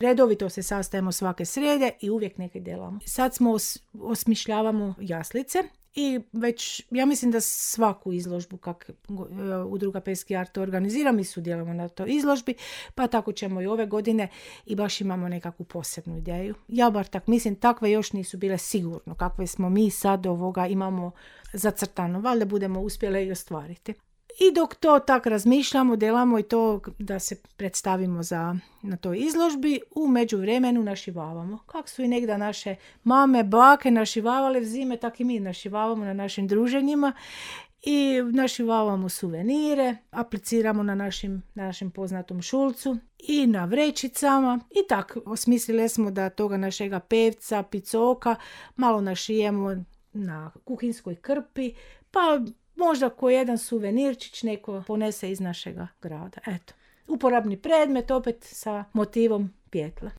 Redovito se sastajemo svake srijede i uvijek nekaj delamo. Sad smo osmišljavamo jaslice i već, ja mislim da svaku izložbu kak udruga Peski art organizira, mi sudjelujemo na toj izložbi, pa tako ćemo i ove godine i baš imamo nekakvu posebnu ideju. Ja bar tak mislim, takve još nisu bile sigurno, kakve smo mi sad imamo zacrtano, valjda budemo uspjeli i ostvariti. I dok to tak razmišljamo, delamo i to da se predstavimo na toj izložbi, u međuvremenu našivavamo. Kak su i negda naše mame, bake našivavale zime, tak i mi našivavamo na našim druženjima i našivavamo suvenire, apliciramo na našem poznatom šulcu i na vrećicama i tak osmislili smo da toga našega pevca, picoka malo našijemo na kuhinskoj krpi, pa možda ko jedan suvenirčić neko ponese iz našega grada. Eto, uporabni predmet opet sa motivom pijetle.